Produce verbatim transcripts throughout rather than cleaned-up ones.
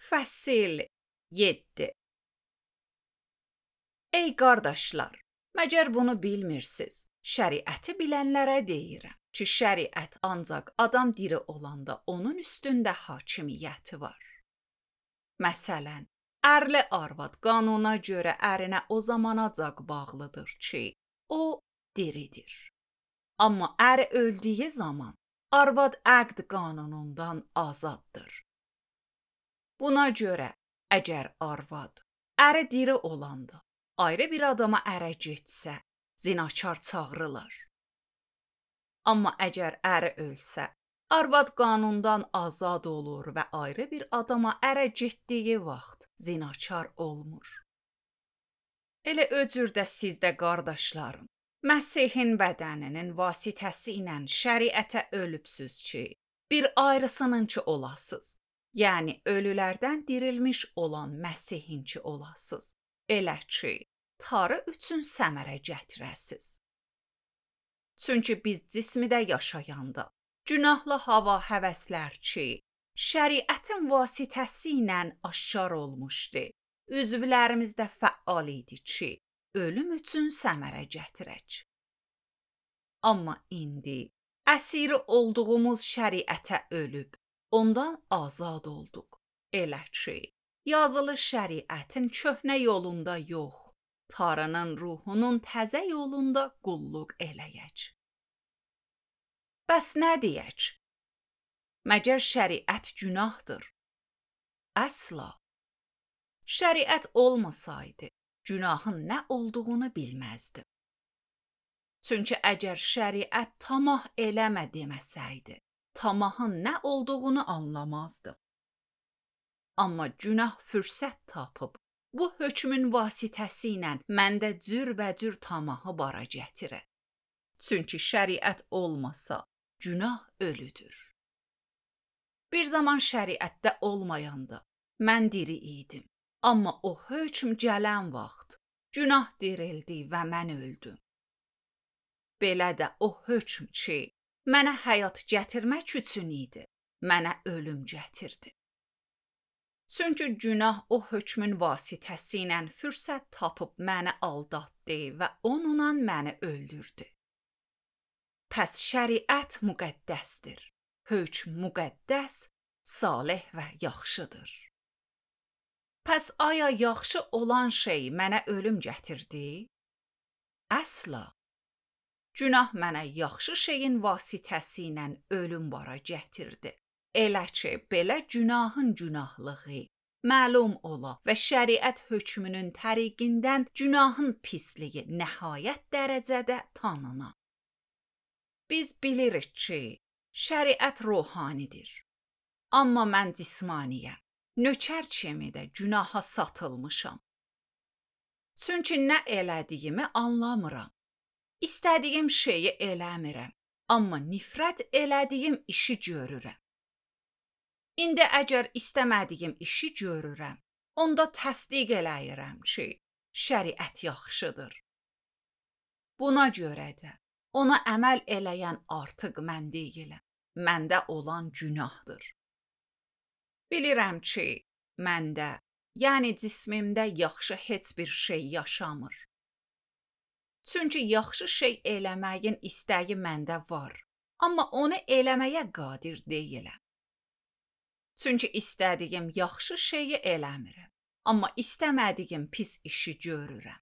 Fəsil yeddi. Ey qardaşlar, məgər bunu bilmirsiniz? Şəriəti bilənlərə deyirəm ki, şəriət ancaq adam diri olanda onun üstündə hakimiyyəti var. Məsələn, ərli arvad qanuna görə ərinə o zamanacaq bağlıdır ki, o diridir. Amma əri öldüyü zaman arvad əqd qanunundan azaddır. Buna görə əgər arvad əri diri olanda ayrı bir adama ərə getsə, zinakar çağırırlar. Amma əgər əri ölsə, arvad qanundan azad olur və ayrı bir adama ərə getdiyi vaxt zinakar olmur. Elə o cür də siz də qardaşlarım, Məsihin bədəninin vasitəsi ilə şəriətə ölübsüz ki, bir ayrısınınki olasız. Yəni ölülərdən dirilmiş olan Məsihinki olasız. Elə ki, tarı üçün səmərə gətirəsiz. Çünki biz cismidə yaşayanda, günahlı hava həvəslər ki, şəriətin vasitəsi ilə aşkar olmuşdu, üzvlərimizdə fəal idi ki, ölüm üçün səmərə gətirək. Amma indi əsiri olduğumuz şəriətə ölüb, ondan azad olduq. Elə ki, yazılı şəriətin köhnə yolunda yox, Tanrının ruhunun təzə yolunda qulluq eləyək. Bəs nə deyək? Məgər şəriət günahdır? Əsla. Şəriət olmasaydı, günahın nə olduğunu bilməzdim. Çünki əgər şəriət tamah eləmə deməsəydi, tamahın nə olduğunu anlamazdım. Amma günah fürsət tapıb, bu hökmün vasitəsi ilə məndə cürbəcür tamahı bara gətirir. Çünki şəriət olmasa, günah ölüdür. Bir zaman şəriətdə olmayanda, mən diri idim. Amma o hökm gələn vaxt, günah dirildi və mən öldüm. Belə də o hökm ki, mənə həyat gətirmək üçün idi, mənə ölüm gətirdi. Çünki günah o hökmün vasitəsi ilə fürsət tapıb məni aldatdı və onunla məni öldürdü. Pəs şəriət müqəddəsdir, hökm müqəddəs, salih və yaxşıdır. Pəs aya yaxşı olan şey mənə ölüm gətirdi? Əsla. Günah mənə yaxşı şeyin vasitəsi ilə ölüm bara gətirdi. Elə ki, belə günahın günahlığı məlum ola və şəriət hökmünün təriqindən günahın pisliyi nəhayət dərəcədə tanına. Biz bilirik ki, şəriət ruhanidir. Amma mən cismaniyəm, nökər kimi də günaha satılmışam. Çünki nə elədiyimi anlamıram. İstədiyim şeyi eləmirəm, amma nifrət elədiyim işi görürəm. İndi əgər istəmədiyim işi görürəm, onda təsdiq eləyirəm ki, şəriət yaxşıdır. Buna görə də ona əməl eləyən artıq mən deyiləm, məndə olan günahdır. Bilirəm ki, məndə, yəni cismimdə yaxşı heç bir şey yaşamır. Çünki yaxşı şey eləməyin istəyi məndə var, amma onu eləməyə qadir deyiləm. Çünki istədiyim yaxşı şeyi eləmirəm, amma istəmədiyim pis işi görürəm.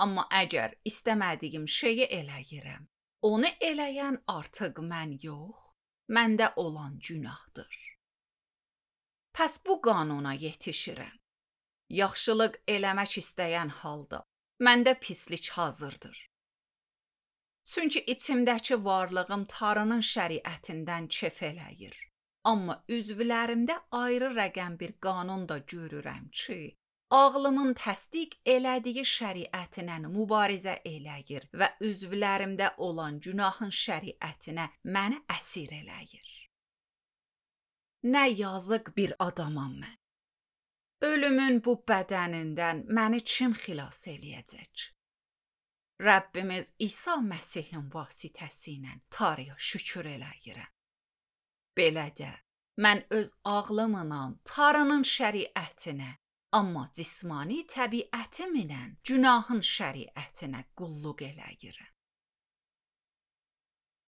Amma əgər istəmədiyim şeyi eləyirəm, onu eləyən artıq mən yox, məndə olan günahdır. Pəs bu qanuna yetişirəm. Yaxşılıq eləmək istəyən halda, məndə pislik hazırdır. Çünki içimdəki varlığım Tanrının şəriətindən kef eləyir. Amma üzvlərimdə ayrı rəqəm bir qanun da görürəm ki, ağlımın təsdiq elədiyi şəriətinə mübarizə eləyir və üzvlərimdə olan günahın şəriətinə məni əsir eləyir. Nə yazıq bir adamam mən. Ölümün bu bədənindən məni kim xilas eləyəcək? Rəbbimiz İsa Məsihin vasitəsi ilə Tanrıya şükür eləyirəm. Belə də Mən öz ağlımla Tanrının şəriətinə, amma cismani təbiətimlə günahın şəriətinə qulluq eləyirəm.